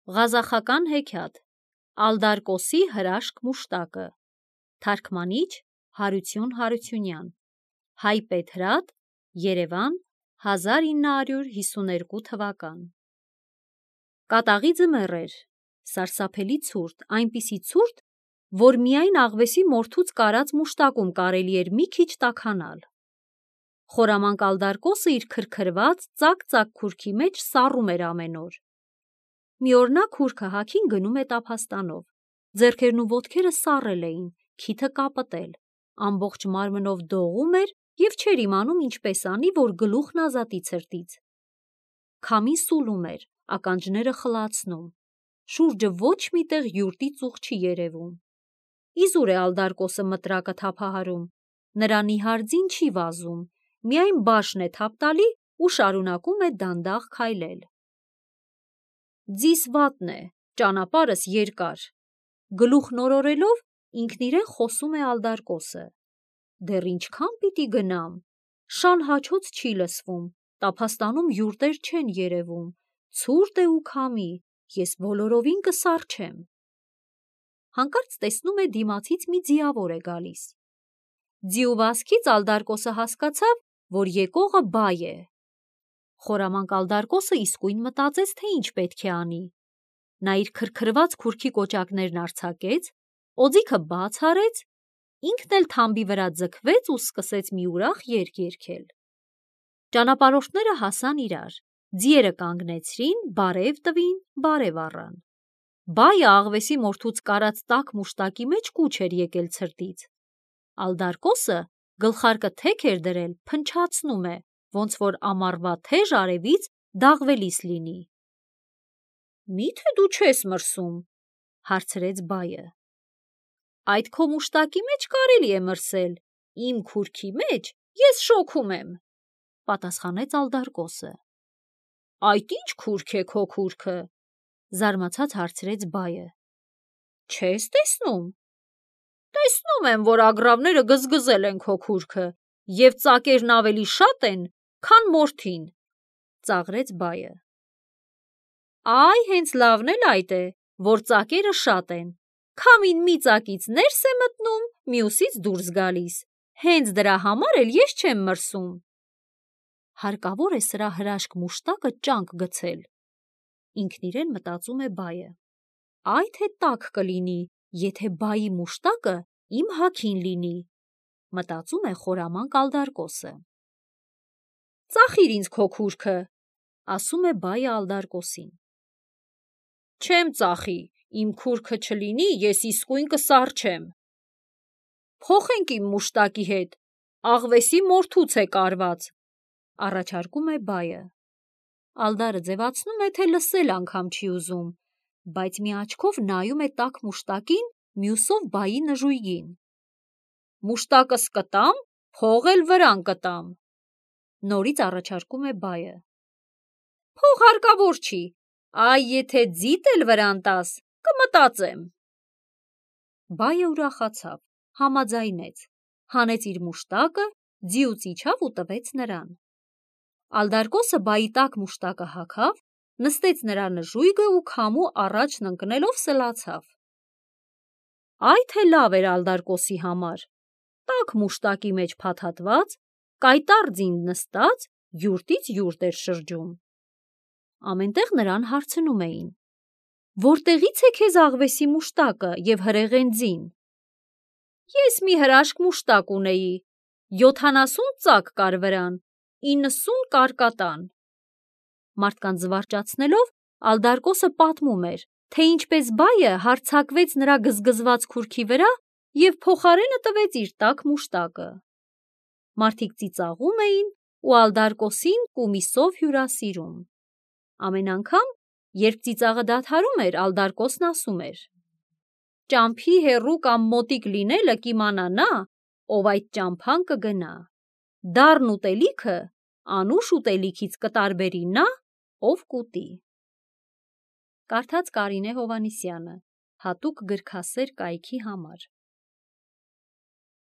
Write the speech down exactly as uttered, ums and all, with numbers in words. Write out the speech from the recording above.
Ղազախական հեքիաթ Ալդարկոսի հրաշք մուշտակը Թարգմանիչ Հարություն Հարությունյան Հայ-Պետրատ Երևան հազար ինը հարյուր հիսուներկու թվական Կատաղի ձմեռ էր, սարսափելի ցուրտ, այնպիսի ցուրտ, որ միայն աղվեսի մորթուց կարած մուշտակում կարելի էր մի քիչ տաքանալ։ Խորամանկ Ալդարկոսը իր քրքրված ծակ-ծակ քուրքի մեջ սառում էր ամեն օր։ Մի օր նա քուրքը հագին գնում է տափաստանով, ձեռքերն ու ոտքերը սառել էին, քիթը կապտել, ամբողջ մարմնով դողում էր և չէր իմանում ինչպես անի, որ գլուխն ազատի ցրտից։ Քամին սուլում էր, ականջները խլացնում, շուրջը ոչ մի տեղ յուրտի ծուխ չի երևում։ Իզուր է Ալդարկոսը մտրակը թափահարում, նրա նիհար ձին չի վազում, միայն բաշն է թափ տալի ու շարունակում է դանդաղ քայլել։ Ձիս վատն է, ճանապարհս երկար, գլուխն օրորելով ինքն իրեն խոսում է Ալդարկոսը։ Դեռ ինչքան պիտի գնամ, շան հաչոց չի լսվում, տափաստանում յուրտեր չեն երևում, ցուրտ է ու քամի, ես բոլորովին կսառչեմ։ Հանկարծ տեսնում է դիմացից մի ձիավոր է գալիս։ Ձիու վազքից Ալդարկոսը հասկացավ, որ եկողը բայ է։ Խորամանկ Ալդարկոսը իսկույն մտածեց, թե ինչ պետք է անի։ Նա իր քրքրված քուրքի կոճակներն արձակեց, օձիքը բաց արեց, ինքն էլ թամբի վրա ձգվեց ու սկսեց մի ուրախ երգ երգել։ Ճանապարհորդները հասան իրար, ձիերը կանգնեցրին, բարև տվին, բարև առան։ Բայը աղվեսի մորթուց կարած տաք մուշտակի մեջ կուչ էր եկել ցրտից։ Ալդարկոսը գլխարկը թեք էր դրել, փնչացնում է, ոնց որ ամառվա թեժ արևից դաղվելիս լինի։ Մի՞թե դու չես մրսում, հարցրեց բայը։ Այդ քո մուշտակի մեջ կարելի է մրսել, իմ քուրքի մեջ ես շոգում եմ, պատասխանեց Ալդարկոսը։ Այդ ի՞նչ քուրք է քո քուրքը, զարմացած հարցրեց բայը։ Չես տեսնում։ Տեսնում եմ, որ ագռավները գզգզել են քո քուրքը և ծակերն ավելի շատ են, քան մորթին, ծաղրեց բայը։ Այ հենց լավն էլ այդ է, որ ծակերը շատ են, քամին մի ծակից ներս է մտնում, մյուսից դուրս գալիս, հենց դրա համար էլ ես չեմ մրսում։ Հարկավոր է սրա հրաշք մուշտակը ճանկ գցել, ինքն իրեն մտածում է բայը։ Այ թե տաք կլինի, եթե բայի մուշտակը իմ հագին լինի, մտածում է խորամանկ Ալդարկոսը։ Ծախիր ինձ քո քուրքը, ասում է բայը Ալդարկոսին։ Չեմ ծախի, իմ քուրքը չլինի, ես իսկույն կսառչեմ։ Փոխենք իմ մուշտակի հետ, աղվեսի մորթուց է կարված, առաջարկում է բայը։ Ալդարը ձևացնում է, թե լսել անգամ չի ուզում, բայց մի աչքով նայում է տաք մուշտակին, մյուսով բայի նժույգին։ Մուշտակս կտամ, փող էլ վրան կտամ, նորից առաջարկում է բայը։ Փող հարկավոր չի, այ եթե ձիտ էլ վրան տաս, կմտածեմ։ Բայը ուրախացավ, համաձայնեց, հանեց իր մուշտակը, ձիուց իջավ ու տվեց նրան։ Ալդարկոսը բայի տաք մուշտակը հագավ, նստեց նրա նժույգը ու քամու առաջն ընկնելով սլացավ։ Այ թե լավ էր Ալդարկոսի համար, տաք մուշտակի մեջ փաթաթված, կայտառ ձին նստած, յուրտից յուրտ էր շրջում։ Ամենտեղ նրան հարցնում էին. Որտեղի՞ց է քեզ աղվեսի մուշտակը և հրեղեն ձին։ Ես մի հրաշք մուշտակ ունեի, յոթանասուն ծակ կար վրան, իննսուն կարկատան։ Մարդկանց զվարճացնելով Ալդարկոսը պատմում էր, թե ինչպես բայը հարձակվեց նրա գզգզված քուրքի վրա և փոխարենը տվեց իր տաք մուշտակը։ Մարդիկ ծիծաղում էին ու Ալդարկոսին կումիսով հյուրասիրում։ Ամեն անգամ, երբ ծիծաղը դադարում էր, Ալդարկոսն ասում էր. Ճամփի հեռու կամ մոտիկ լինելը կիմանա նա, ով այդ ճամփան կգնա։ Դառն ուտելիքը անուշ ուտելիքից կտարբերի նա, ով կուտի։ Կարդաց Կարինե Հովհաննիսյանը, հատուկ գրքասեր կայքի համար։